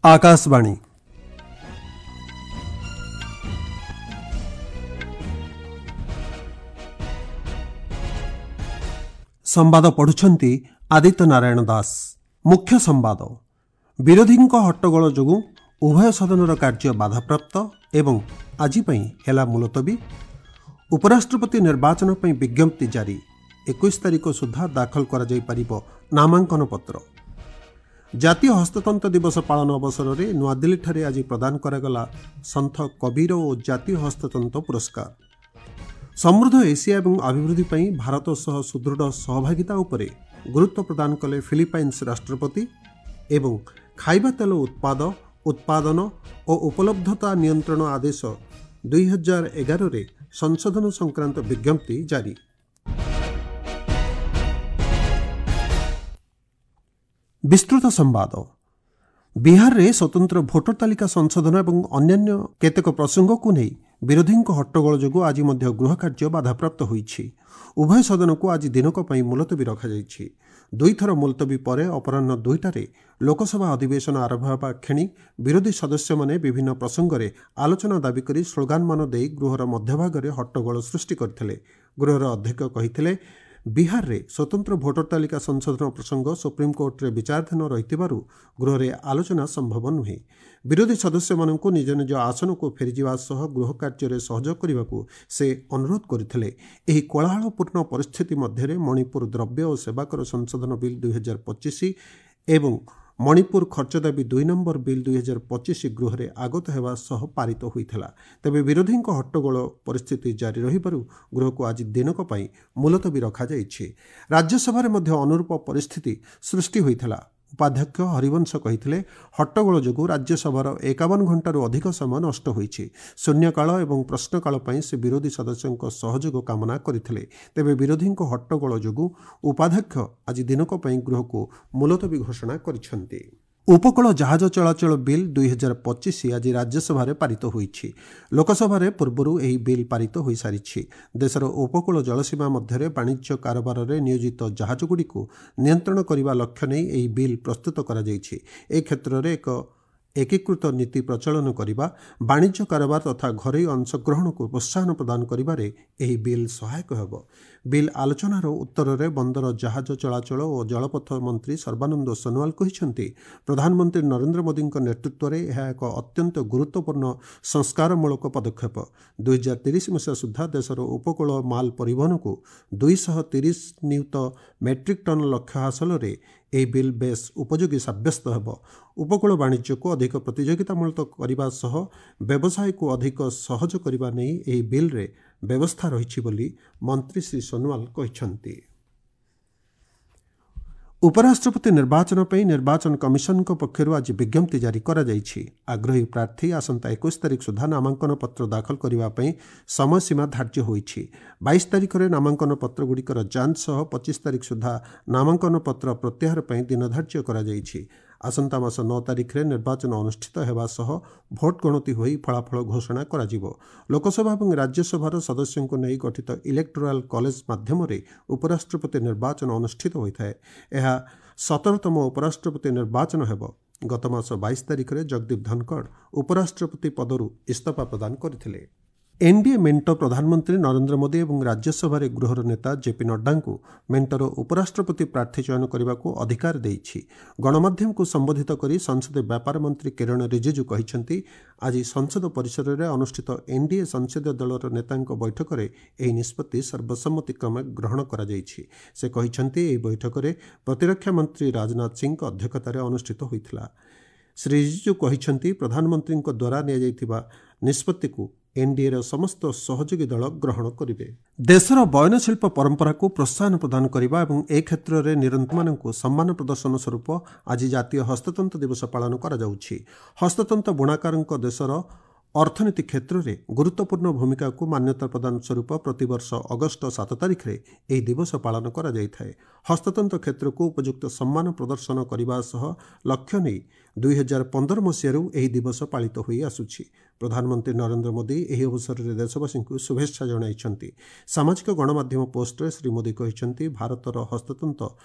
ଆକାଶବାଣୀ। ସମ୍ବାଦ ପଢୁଛନ୍ତି ଆଦିତ୍ୟ ନାରାୟଣ ଦାସ। ମୁଖ୍ୟ ସମ୍ବାଦ। ବିରୋଧୀଙ୍କ ହଟ୍ଟଗୋଳ ଯୋଗୁଁ ଉଭୟ ସଦନର କାର୍ଯ୍ୟ ବାଧାପ୍ରାପ୍ତ ଏବଂ ଆଜି ପାଇଁ ହେଲା ମୁଲତବୀ। ଉପରାଷ୍ଟ୍ରପତି ନିର୍ବାଚନ ପାଇଁ ବିଜ୍ଞପ୍ତି ଜାରି। 21 ତାରିଖ ସୁଦ୍ଧା ଦାଖଲ କରାଯାଇପାରିବ ନାମାଙ୍କନ ପତ୍ର। ଜାତୀୟ ହସ୍ତତନ୍ତ ଦିବସ ପାଳନ ଅବସରରେ ନୂଆଦିଲ୍ଲୀଠାରେ ଆଜି ପ୍ରଦାନ କରାଗଲା ସନ୍ଥ କବୀର ଓ ଜାତୀୟ ହସ୍ତତନ୍ତ ପୁରସ୍କାର। ସମୃଦ୍ଧ ଏସିଆ ଏବଂ ଅଭିବୃଦ୍ଧି ପାଇଁ ଭାରତ ସହ ସୁଦୃଢ଼ ସହଭାଗିତା ଉପରେ ଗୁରୁତ୍ୱ ପ୍ରଦାନ କଲେ ଫିଲିପାଇନ୍ସ ରାଷ୍ଟ୍ରପତି। ଏବଂ ଖାଇବା ତେଲ ଉତ୍ପାଦ, ଉତ୍ପାଦନ ଓ ଉପଲବ୍ଧତା ନିୟନ୍ତ୍ରଣ ଆଦେଶ 2011ରେ ସଂଶୋଧନ ସଂକ୍ରାନ୍ତ ବିଜ୍ଞପ୍ତି ଜାରି। ବିସ୍ତୃତ ସମ୍ବାଦ। ବିହାରରେ ସ୍ୱତନ୍ତ୍ର ଭୋଟର ତାଲିକା ସଂଶୋଧନ ଏବଂ ଅନ୍ୟାନ୍ୟ କେତେକ ପ୍ରସଙ୍ଗକୁ ନେଇ ବିରୋଧୀଙ୍କ ହଟ୍ଟଗୋଳ ଯୋଗୁଁ ଆଜି ମଧ୍ୟ ଗୃହ କାର୍ଯ୍ୟ ବାଧାପ୍ରାପ୍ତ ହୋଇଛି। ଉଭୟ ସଦନକୁ ଆଜି ଦିନକ ପାଇଁ ମୁଲତବୀ ରଖାଯାଇଛି। ଦୁଇଥର ମୁଲତବୀ ପରେ ଅପରାହ୍ନ 2ଟାରେ ଲୋକସଭା ଅଧିବେଶନ ଆରମ୍ଭ ହେବା କ୍ଷଣି ବିରୋଧୀ ସଦସ୍ୟମାନେ ବିଭିନ୍ନ ପ୍ରସଙ୍ଗରେ ଆଲୋଚନା ଦାବି କରି ସ୍ଲୋଗାନମାନ ଦେଇ ଗୃହର ମଧ୍ୟଭାଗରେ ହଟ୍ଟଗୋଳ ସୃଷ୍ଟି କରିଥିଲେ। ଗୃହର ଅଧ୍ୟକ୍ଷ କହିଥିଲେ, ବିହାରରେ ସ୍ୱତନ୍ତ୍ର ଭୋଟର ତାଲିକା ସଂଶୋଧନ ପ୍ରସଙ୍ଗ ସୁପ୍ରିମକୋର୍ଟରେ ବିଚାରାଧୀନ ରହିଥିବାରୁ ଗୃହରେ ଆଲୋଚନା ସମ୍ଭବ ନୁହେଁ। ବିରୋଧୀ ସଦସ୍ୟମାନଙ୍କୁ ନିଜ ନିଜ ଆସନକୁ ଫେରିଯିବା ସହ ଗୃହ କାର୍ଯ୍ୟରେ ସହଯୋଗ କରିବାକୁ ସେ ଅନୁରୋଧ କରିଥିଲେ। ଏହି କୋଳାହଳପୂର୍ଣ୍ଣ ପରିସ୍ଥିତି ମଧ୍ୟରେ ମଣିପୁର ଦ୍ରବ୍ୟ ଓ ସେବାକର ସଂଶୋଧନ ବିଲ୍ 2025 ଏବଂ ମଣିପୁର ଖର୍ଚ୍ଚ ଦାବି 2 ନମ୍ବର ବିଲ୍ 2025 ଗୃହରେ ଆଗତ ହେବା ସହ ପାରିତ ହୋଇଥିଲା। ତେବେ ବିରୋଧୀଙ୍କ ହଟ୍ଟଗୋଳ ପରିସ୍ଥିତି ଜାରି ରହିବାରୁ ଗୃହକୁ ଆଜି ଦିନକ ପାଇଁ ମୁଲତବୀ ରଖାଯାଇଛି। ରାଜ୍ୟସଭାରେ ମଧ୍ୟ ଅନୁରୂପ ପରିସ୍ଥିତି ସୃଷ୍ଟି ହୋଇଥିଲା। ଉପାଧ୍ୟକ୍ଷ ହରିବଂଶ କହିଥିଲେ, ହଟ୍ଟଗୋଳ ଯୋଗୁଁ ରାଜ୍ୟସଭାର 51 ଘଣ୍ଟାରୁ ଅଧିକ ସମୟ ନଷ୍ଟ ହୋଇଛି। ଶୂନ୍ୟକାଳ ଏବଂ ପ୍ରଶ୍ନକାଳ ପାଇଁ ସେ ବିରୋଧୀ ସଦସ୍ୟଙ୍କ ସହଯୋଗ କାମନା କରିଥିଲେ। ତେବେ ବିରୋଧୀଙ୍କ ହଟ୍ଟଗୋଳ ଯୋଗୁଁ ଉପାଧ୍ୟକ୍ଷ ଆଜି ଦିନକ ପାଇଁ ଗୃହକୁ ମୁଲତବୀ ଘୋଷଣା କରିଛନ୍ତି। ଉପକୂଳ ଜାହାଜ ଚଳାଚଳ ବିଲ୍ 2025 ଆଜି ରାଜ୍ୟସଭାରେ ପାରିତ ହୋଇଛି। ଲୋକସଭାରେ ପୂର୍ବରୁ ଏହି ବିଲ୍ ପାରିତ ହୋଇସାରିଛି। ଦେଶର ଉପକୂଳ ଜଳସୀମା ମଧ୍ୟରେ ବାଣିଜ୍ୟ କାରବାରରେ ନିୟୋଜିତ ଜାହାଜଗୁଡ଼ିକୁ ନିୟନ୍ତ୍ରଣ କରିବା ଲକ୍ଷ୍ୟ ନେଇ ଏହି ବିଲ୍ ପ୍ରସ୍ତୁତ କରାଯାଇଛି। ଏ କ୍ଷେତ୍ରରେ ଏକ ଏକୀକୃତ ନୀତି ପ୍ରଚଳନ କରିବା, ବାଣିଜ୍ୟ କାରବାର ତଥା ଘରୋଇ ଅଂଶଗ୍ରହଣକୁ ପ୍ରୋତ୍ସାହନ ପ୍ରଦାନ କରିବାରେ ଏହି ବିଲ୍ ସହାୟକ ହେବ। ବିଲ୍ ଆଲୋଚନାର ଉତ୍ତରରେ ବନ୍ଦର, ଜାହାଜ ଚଳାଚଳ ଓ ଜଳପଥ ମନ୍ତ୍ରୀ ସର୍ବାନନ୍ଦ ସୋନୋୱାଲ କହିଛନ୍ତି, ପ୍ରଧାନମନ୍ତ୍ରୀ ନରେନ୍ଦ୍ର ମୋଦିଙ୍କ ନେତୃତ୍ୱରେ ଏହା ଏକ ଅତ୍ୟନ୍ତ ଗୁରୁତ୍ୱପୂର୍ଣ୍ଣ ସଂସ୍କାରମୂଳକ ପଦକ୍ଷେପ। 2030 ମସିହା ସୁଦ୍ଧା ଦେଶର ଉପକୂଳ ମାଲ ପରିବହନକୁ 230 ନିୟୁତ ମେଟ୍ରିକ୍ ଟନ୍ ଲକ୍ଷ୍ୟ ହାସଲରେ ଏହି ବିଲ୍ ବେଶ୍ ଉପଯୋଗୀ ସାବ୍ୟସ୍ତ ହେବ। ଉପକୂଳ ବାଣିଜ୍ୟକୁ ଅଧିକ ପ୍ରତିଯୋଗିତାମୂଳକ କରିବା ସହ ବ୍ୟବସାୟକୁ ଅଧିକ ସହଜ କରିବା ନେଇ ଏହି ବିଲ୍ରେ ବ୍ୟବସ୍ଥା ରହିଛି ବୋଲି ମନ୍ତ୍ରୀ ଶ୍ରୀ ସୋନୋୱାଲ କହିଛନ୍ତି। ଉପରାଷ୍ଟ୍ରପତି ନିର୍ବାଚନ ପାଇଁ ନିର୍ବାଚନ କମିଶନଙ୍କ ପକ୍ଷରୁ ଆଜି ବିଜ୍ଞପ୍ତି ଜାରି କରାଯାଇଛି। ଆଗ୍ରହୀ ପ୍ରାର୍ଥୀ ଆସନ୍ତା 21 ତାରିଖ ସୁଦ୍ଧା ନାମାଙ୍କନ ପତ୍ର ଦାଖଲ କରିବା ପାଇଁ ସମୟସୀମା ଧାର୍ଯ୍ୟ ହୋଇଛି। 22 ତାରିଖରେ ନାମାଙ୍କନ ପତ୍ରଗୁଡ଼ିକର ଯାଞ୍ଚ ସହ 25 ତାରିଖ ସୁଦ୍ଧା ନାମାଙ୍କନ ପତ୍ର ପ୍ରତ୍ୟାହାର ପାଇଁ ଦିନ ଧାର୍ଯ୍ୟ କରାଯାଇଛି। ଆସନ୍ତା ମାସ 9 ତାରିଖରେ ନିର୍ବାଚନ ଅନୁଷ୍ଠିତ ହେବା ସହ ଭୋଟ ଗଣତି ହୋଇ ଫଳାଫଳ ଘୋଷଣା କରାଯିବ। ଲୋକସଭା ଏବଂ ରାଜ୍ୟସଭାର ସଦସ୍ୟଙ୍କୁ ନେଇ ଗଠିତ ଇଲେକ୍ଟୋରାଲ କଲେଜ ମାଧ୍ୟମରେ ଉପରାଷ୍ଟ୍ରପତି ନିର୍ବାଚନ ଅନୁଷ୍ଠିତ ହୋଇଥାଏ। ଏହା 17ତମ ଉପରାଷ୍ଟ୍ରପତି ନିର୍ବାଚନ ହେବ। ଗତ ମାସ 22 ତାରିଖରେ ଜଗଦୀପ ଧନଖଡ଼ ଉପରାଷ୍ଟ୍ରପତି ପଦରୁ ଇସ୍ତଫା ପ୍ରଦାନ କରିଥିଲେ। ଏନ୍ଡିଏ ମେଣ୍ଟ ପ୍ରଧାନମନ୍ତ୍ରୀ ନରେନ୍ଦ୍ର ମୋଦି ଏବଂ ରାଜ୍ୟସଭାରେ ଗୃହର ନେତା ଜେପି ନଡ୍ଡାଙ୍କୁ ମେଣ୍ଟର ଉପରାଷ୍ଟ୍ରପତି ପ୍ରାର୍ଥୀ ଚୟନ କରିବାକୁ ଅଧିକାର ଦେଇଛି। ଗଣମାଧ୍ୟମକୁ ସମ୍ବୋଧିତ କରି ସଂସଦୀୟ ବ୍ୟାପାର ମନ୍ତ୍ରୀ କିରଣ ରିଜିଜୁ କହିଛନ୍ତି, ଆଜି ସଂସଦ ପରିସରରେ ଅନୁଷ୍ଠିତ ଏନ୍ଡିଏ ସଂସଦୀୟ ଦଳର ନେତାଙ୍କ ବୈଠକରେ ଏହି ନିଷ୍ପତ୍ତି ସର୍ବସମ୍ମତିକ୍ରମେ ଗ୍ରହଣ କରାଯାଇଛି। ସେ କହିଛନ୍ତି, ଏହି ବୈଠକରେ ପ୍ରତିରକ୍ଷା ମନ୍ତ୍ରୀ ରାଜନାଥ ସିଂଙ୍କ ଅଧ୍ୟକ୍ଷତାରେ ଅନୁଷ୍ଠିତ ହୋଇଥିଲା। ଶ୍ରୀ ରିଜିଜୁ କହିଛନ୍ତି, ପ୍ରଧାନମନ୍ତ୍ରୀଙ୍କ ଦ୍ୱାରା ନିଆଯାଇଥିବା ନିଷ୍ପତ୍ତିକୁ ଏନ୍ଡିଏର ସମସ୍ତ ସହଯୋଗୀ ଦଳ ଗ୍ରହଣ କରିବେ। ଦେଶର ବୟନଶିଳ୍ପ ପରମ୍ପରାକୁ ପ୍ରୋତ୍ସାହନ ପ୍ରଦାନ କରିବା ଏବଂ ଏ କ୍ଷେତ୍ରରେ ନିରନ୍ତମାନଙ୍କୁ ସମ୍ମାନ ପ୍ରଦର୍ଶନ ସ୍ୱରୂପ ଆଜି ଜାତୀୟ ହସ୍ତତନ୍ତ ଦିବସ ପାଳନ କରାଯାଉଛି। ହସ୍ତତନ୍ତ ବୁଣାକାରଙ୍କ ଦେଶର ଅର୍ଥନୀତି କ୍ଷେତ୍ରରେ ଗୁରୁତ୍ୱପୂର୍ଣ୍ଣ ଭୂମିକାକୁ ମାନ୍ୟତା ପ୍ରଦାନ ସ୍ୱରୂପ ପ୍ରତିବର୍ଷ ଅଗଷ୍ଟ 7 ତାରିଖରେ ଏହି ଦିବସ ପାଳନ କରାଯାଇଥାଏ। ହସ୍ତତନ୍ତ କ୍ଷେତ୍ରକୁ ଉପଯୁକ୍ତ ସମ୍ମାନ ପ୍ରଦର୍ଶନ କରିବା ସହ ଲକ୍ଷ୍ୟ ନେଇ 2015 ମସିହାରୁ ଏହି ଦିବସ ପାଳିତ ହୋଇ ଆସୁଛି। ପ୍ରଧାନମନ୍ତ୍ରୀ ନରେନ୍ଦ୍ର ମୋଦି ଏହି ଅବସରରେ ଦେଶବାସୀଙ୍କୁ ଶୁଭେଚ୍ଛା ଜଣାଇଛନ୍ତି। ସାମାଜିକ ଗଣମାଧ୍ୟମ ପୋଷ୍ଟରେ ଶ୍ରୀ ମୋଦି କହିଛନ୍ତି, ଭାରତର ହସ୍ତତନ୍ତ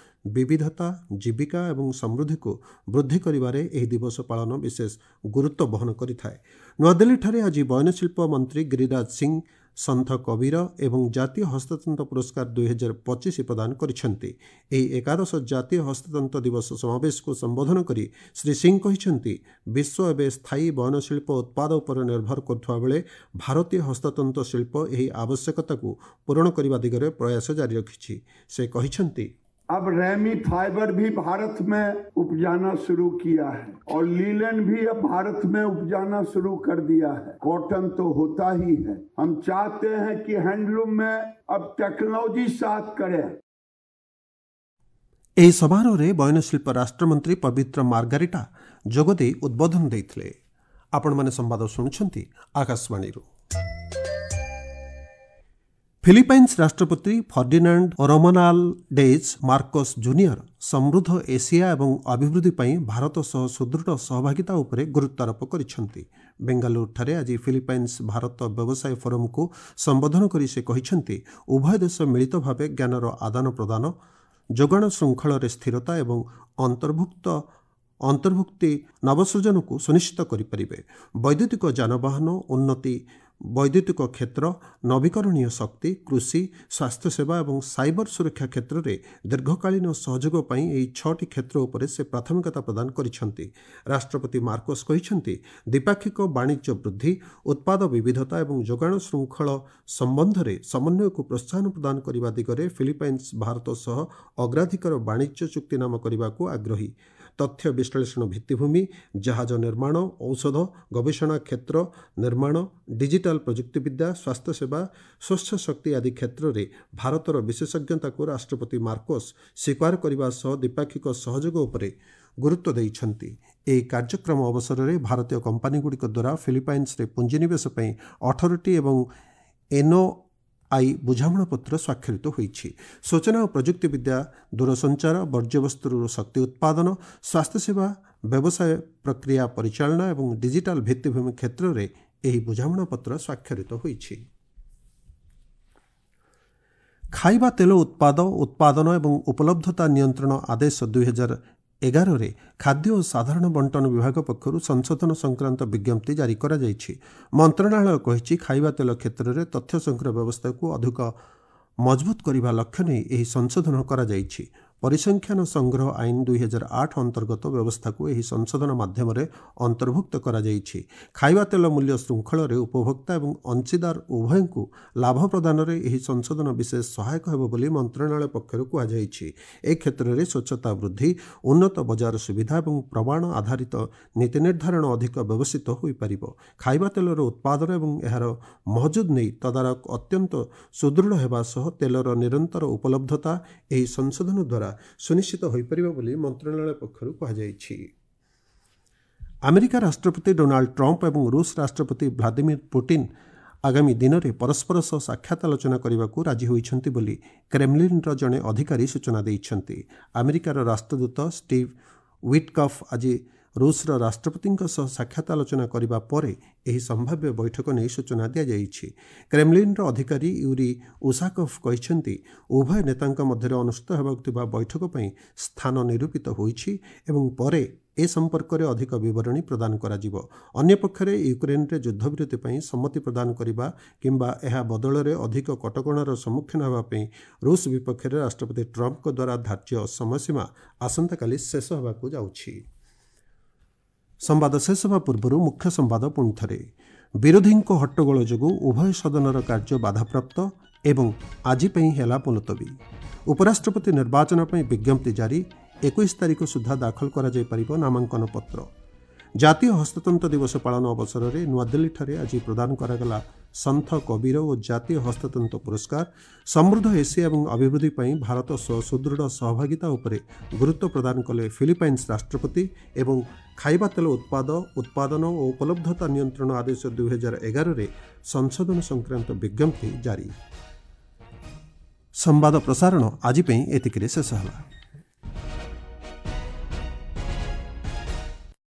ବିବିଧତା, ଜୀବିକା ଏବଂ ସମୃଦ୍ଧିକୁ ବୃଦ୍ଧି କରିବାରେ ଏହି ଦିବସ ପାଳନ ବିଶେଷ ଗୁରୁତ୍ୱ ବହନ କରିଥାଏ। ନୂଆଦିଲ୍ଲୀଠାରେ ଆଜି ବୟନଶିଳ୍ପ ମନ୍ତ୍ରୀ ଗିରିରାଜ ସିଂ ସନ୍ଥ କବୀର ଏବଂ ଜାତୀୟ ହସ୍ତତନ୍ତ ପୁରସ୍କାର 2025 ପ୍ରଦାନ କରିଛନ୍ତି। ଏହି ଏକାଦଶ ଜାତୀୟ ହସ୍ତତନ୍ତ ଦିବସ ସମାବେଶକୁ ସମ୍ବୋଧନ କରି ଶ୍ରୀ ସିଂ କହିଛନ୍ତି, ବିଶ୍ୱ ଏବେ ସ୍ଥାୟୀ ବୟନଶିଳ୍ପ ଉତ୍ପାଦ ଉପରେ ନିର୍ଭର କରୁଥିବା ବେଳେ ଭାରତୀୟ ହସ୍ତତନ୍ତ ଶିଳ୍ପ ଏହି ଆବଶ୍ୟକତାକୁ ପୂରଣ କରିବା ଦିଗରେ ପ୍ରୟାସ ଜାରି ରଖିଛି। ସେ କହିଛନ୍ତି, अब रेमी फाइबर भी भारत में उपजाना शुरू किया है और लीलन भी अब भारत में उपजाना शुरू कर दिया है। कॉटन तो होता ही है। हम चाहते हैं कि हैंडलूम में अब टेक्नोलॉजी साथ करे। ଏହି ସମାରୋହରେ ବୟନଶିଳ୍ପ ରାଷ୍ଟ୍ରମନ୍ତ୍ରୀ ପବିତ୍ର ମାର୍ଗାରିଟା ଯୋଗଦେଇ ଉଦ୍ବୋଧନ ଦେଇଥିଲେ। ଆପଣମାନେ ସମ୍ବାଦ ଶୁଣୁଛନ୍ତି ଆକାଶବାଣୀରୁ। ଫିଲିପାଇନ୍ସ ରାଷ୍ଟ୍ରପତି ଫର୍ଡିନାଣ୍ଡ ରୋମାନାଲଡେଜ୍ ମାର୍କୋସ୍ ଜୁନିୟର ସମୃଦ୍ଧ ଏସିଆ ଏବଂ ଅଭିବୃଦ୍ଧି ପାଇଁ ଭାରତ ସହ ସୁଦୃଢ଼ ସହଭାଗିତା ଉପରେ ଗୁରୁତ୍ୱାରୋପ କରିଛନ୍ତି। ବେଙ୍ଗାଲୁରୁଠାରେ ଆଜି ଫିଲିପାଇନ୍ସ ଭାରତ ବ୍ୟବସାୟ ଫୋରମକୁ ସମ୍ବୋଧନ କରି ସେ କହିଛନ୍ତି, ଉଭୟ ଦେଶ ମିଳିତ ଭାବେ ଜ୍ଞାନର ଆଦାନ ପ୍ରଦାନ, ଯୋଗାଣ ଶୃଙ୍ଖଳରେ ସ୍ଥିରତା ଏବଂ ଅନ୍ତର୍ଭୁକ୍ତି ନବସୃଜନକୁ ସୁନିଶ୍ଚିତ କରିପାରିବେ। ବୈଦ୍ୟୁତିକ ଯାନବାହନ ଉନ୍ନତି, ବୈଦ୍ୟୁତିକ କ୍ଷେତ୍ର, ନବୀକରଣୀୟ ଶକ୍ତି, କୃଷି, ସ୍ୱାସ୍ଥ୍ୟସେବା ଏବଂ ସାଇବର ସୁରକ୍ଷା କ୍ଷେତ୍ରରେ ଦୀର୍ଘକାଳୀନ ସହଯୋଗ ପାଇଁ ଏହି 6ଟି କ୍ଷେତ୍ର ଉପରେ ସେ ପ୍ରାଥମିକତା ପ୍ରଦାନ କରିଛନ୍ତି। ରାଷ୍ଟ୍ରପତି ମାର୍କୋସ୍ କହିଛନ୍ତି, ଦ୍ୱିପାକ୍ଷିକ ବାଣିଜ୍ୟ ବୃଦ୍ଧି, ଉତ୍ପାଦ ବିବିଧତା ଏବଂ ଯୋଗାଣ ଶୃଙ୍ଖଳ ସମ୍ବନ୍ଧରେ ସମନ୍ୱୟକୁ ପ୍ରୋତ୍ସାହନ ପ୍ରଦାନ କରିବା ଦିଗରେ ଫିଲିପାଇନ୍ସ ଭାରତ ସହ ଅଗ୍ରାଧିକାର ବାଣିଜ୍ୟ ଚୁକ୍ତିନାମା କରିବାକୁ ଆଗ୍ରହୀ। ତଥ୍ୟ ବିଶ୍ଳେଷଣ ଭିତ୍ତିଭୂମି, ଜାହାଜ ନିର୍ମାଣ, ଔଷଧ ଗବେଷଣା କ୍ଷେତ୍ର ନିର୍ମାଣ, ଡିଜିଟାଲ ପ୍ରଯୁକ୍ତିବିଦ୍ୟା, ସ୍ୱାସ୍ଥ୍ୟସେବା, ସ୍ୱଚ୍ଛ ଶକ୍ତି ଆଦି କ୍ଷେତ୍ରରେ ଭାରତର ବିଶେଷଜ୍ଞତାକୁ ରାଷ୍ଟ୍ରପତି ମାର୍କୋସ୍ ସ୍ୱୀକାର କରିବା ସହ ଦ୍ୱିପାକ୍ଷିକ ସହଯୋଗ ଉପରେ ଗୁରୁତ୍ୱ ଦେଇଛନ୍ତି। ଏହି କାର୍ଯ୍ୟକ୍ରମ ଅବସରରେ ଭାରତୀୟ କମ୍ପାନୀଗୁଡ଼ିକ ଦ୍ୱାରା ଫିଲିପାଇନ୍ସରେ ପୁଞ୍ଜିନିବେଶ ପାଇଁ 18ଟି ଏବଂ ଏନ୍ଓଆଇ ବୁଝାମଣାପତ୍ର ସ୍ୱାକ୍ଷରିତ ହୋଇଛି। ସୂଚନା ଓ ପ୍ରଯୁକ୍ତିବିଦ୍ୟା, ଦୂରସଞ୍ଚାର, ବର୍ଜ୍ୟବସ୍ତୁରୁ ଶକ୍ତି ଉତ୍ପାଦନ, ସ୍ୱାସ୍ଥ୍ୟସେବା, ବ୍ୟବସାୟ ପ୍ରକ୍ରିୟା ପରିଚାଳନା ଏବଂ ଡିଜିଟାଲ ଭିତ୍ତିଭୂମି କ୍ଷେତ୍ରରେ ଏହି ବୁଝାମଣାପତ୍ର ସ୍ୱାକ୍ଷରିତ ହୋଇଛି। ଖାଇବା ତେଲ ଉତ୍ପାଦ, ଉତ୍ପାଦନ ଏବଂ ଉପଲବ୍ଧତା ନିୟନ୍ତ୍ରଣ ଆଦେଶ 2011ରେ ଖାଦ୍ୟ ଓ ସାଧାରଣ ବଣ୍ଟନ ବିଭାଗ ପକ୍ଷରୁ ସଂଶୋଧନ ସଂକ୍ରାନ୍ତ ବିଜ୍ଞପ୍ତି ଜାରି କରାଯାଇଛି। ମନ୍ତ୍ରଣାଳୟ କହିଛି, ଖାଇବା ତେଲ କ୍ଷେତ୍ରରେ ତଥ୍ୟ ସଂଗ୍ରହ ବ୍ୟବସ୍ଥାକୁ ଅଧିକ ମଜବୁତ କରିବା ଲକ୍ଷ୍ୟ ନେଇ ଏହି ସଂଶୋଧନ କରାଯାଇଛି। ପରିସଂଖ୍ୟାନ ସଂଗ୍ରହ ଆଇନ 2008 ଅନ୍ତର୍ଗତ ବ୍ୟବସ୍ଥାକୁ ଏହି ସଂଶୋଧନ ମାଧ୍ୟମରେ ଅନ୍ତର୍ଭୁକ୍ତ କରାଯାଇଛି। ଖାଇବା ତେଲ ମୂଲ୍ୟ ଶୃଙ୍ଖଳରେ ଉପଭୋକ୍ତା ଏବଂ ଅଂଶୀଦାର ଉଭୟଙ୍କୁ ଲାଭ ପ୍ରଦାନରେ ଏହି ସଂଶୋଧନ ବିଶେଷ ସହାୟକ ହେବ ବୋଲି ମନ୍ତ୍ରଣାଳୟ ପକ୍ଷରୁ କୁହାଯାଇଛି। ଏ କ୍ଷେତ୍ରରେ ସ୍ୱଚ୍ଛତା ବୃଦ୍ଧି, ଉନ୍ନତ ବଜାର ସୁବିଧା ଏବଂ ପ୍ରମାଣ ଆଧାରିତ ନୀତି ନିର୍ଦ୍ଧାରଣ ଅଧିକ ବ୍ୟବସ୍ଥିତ ହୋଇପାରିବ। ଖାଇବା ତେଲର ଉତ୍ପାଦନ ଏବଂ ଏହାର ମହଜୁଦ ନେଇ ତଦାରଖ ଅତ୍ୟନ୍ତ ସୁଦୃଢ଼ ହେବା ସହ ତେଲର ନିରନ୍ତର ଉପଲବ୍ଧତା ଏହି ସଂଶୋଧନ ଦ୍ୱାରା ସୁନିଶ୍ଚିତ ହୋଇପାରିବ ବୋଲି ମନ୍ତ୍ରଣାଳୟ ପକ୍ଷରୁ କୁହାଯାଇଛି। ଆମେରିକା ରାଷ୍ଟ୍ରପତି ଡୋନାଲ୍ଡ ଟ୍ରମ୍ପ ଏବଂ ରୁଷ ରାଷ୍ଟ୍ରପତି ଭ୍ଲାଦିମିର ପୁଟିନ୍ ଆଗାମୀ ଦିନରେ ପରସ୍ପର ସହ ସାକ୍ଷାତ ଆଲୋଚନା କରିବାକୁ ରାଜି ହୋଇଛନ୍ତି ବୋଲି କ୍ରେମଲିନ୍ର ଜଣେ ଅଧିକାରୀ ସୂଚନା ଦେଇଛନ୍ତି। ଆମେରିକାର ରାଷ୍ଟ୍ରଦୂତ ଷ୍ଟିଭ୍ ୱିଟକଫ୍ ଆଜି ରୁଷର ରାଷ୍ଟ୍ରପତିଙ୍କ ସହ ସାକ୍ଷାତ ଆଲୋଚନା କରିବା ପରେ ଏହି ସମ୍ଭାବ୍ୟ ବୈଠକ ନେଇ ସୂଚନା ଦିଆଯାଇଛି। କ୍ରେମଲିନ୍ର ଅଧିକାରୀ ୟୁରି ଉସାକୋଭ୍ କହିଛନ୍ତି, ଉଭୟ ନେତାଙ୍କ ମଧ୍ୟରେ ଅନୁଷ୍ଠିତ ହେବାକୁ ଥିବା ବୈଠକ ପାଇଁ ସ୍ଥାନ ନିରୂପିତ ହୋଇଛି ଏବଂ ପରେ ଏ ସମ୍ପର୍କରେ ଅଧିକ ବିବରଣୀ ପ୍ରଦାନ କରାଯିବ। ଅନ୍ୟପକ୍ଷରେ ୟୁକ୍ରେନ୍ରେ ଯୁଦ୍ଧବିରତି ପାଇଁ ସମ୍ମତି ପ୍ରଦାନ କରିବା କିମ୍ବା ଏହା ବଦଳରେ ଅଧିକ କଟକଣାର ସମ୍ମୁଖୀନ ହେବା ପାଇଁ ରୁଷ ବିପକ୍ଷରେ ରାଷ୍ଟ୍ରପତି ଟ୍ରମ୍ପଙ୍କ ଦ୍ୱାରା ଧାର୍ଯ୍ୟ ସମୟସୀମା ଆସନ୍ତାକାଲି ଶେଷ ହେବାକୁ ଯାଉଛି। ସମ୍ବାଦ ଶେଷ ହେବା ପୂର୍ବରୁ ମୁଖ୍ୟ ସମ୍ବାଦ ପୁଣିଥରେ। ବିରୋଧୀଙ୍କ ହଟ୍ଟଗୋଳ ଯୋଗୁଁ ଉଭୟ ସଦନର କାର୍ଯ୍ୟ ବାଧାପ୍ରାପ୍ତ ଏବଂ ଆଜି ପାଇଁ ହେଲା ମୁଲତବୀ। ଉପରାଷ୍ଟ୍ରପତି ନିର୍ବାଚନ ପାଇଁ ବିଜ୍ଞପ୍ତି ଜାରି, 21 ତାରିଖ ସୁଦ୍ଧା ଦାଖଲ କରାଯାଇପାରିବ ନାମାଙ୍କନ ପତ୍ର। ଜାତୀୟ ହସ୍ତତନ୍ତ ଦିବସ ପାଳନ ଅବସରରେ ନୂଆଦିଲ୍ଲୀଠାରେ ଆଜି ପ୍ରଦାନ କରାଗଲା ସନ୍ଥ କବୀର ଓ ଜାତୀୟ ହସ୍ତତନ୍ତ ପୁରସ୍କାର। ସମୃଦ୍ଧ ଏସିଆ ଏବଂ ଅଭିବୃଦ୍ଧି ପାଇଁ ଭାରତ ସହ ସୁଦୃଢ଼ ସହଭାଗିତା ଉପରେ ଗୁରୁତ୍ୱ ପ୍ରଦାନ କଲେ ଫିଲିପାଇନ୍ସ ରାଷ୍ଟ୍ରପତି ଏବଂ ଖାଇବା ତେଲ ଉତ୍ପାଦ, ଉତ୍ପାଦନ ଓ ଉପଲବ୍ଧତା ନିୟନ୍ତ୍ରଣ ଆଦେଶ 2011ରେ ସଂଶୋଧନ ସଂକ୍ରାନ୍ତ ବିଜ୍ଞପ୍ତି ଜାରି। ସମ୍ବାଦ ପ୍ରସାରଣ ଆଜି ପାଇଁ ଏତିକିରେ ଶେଷ ହେଲା।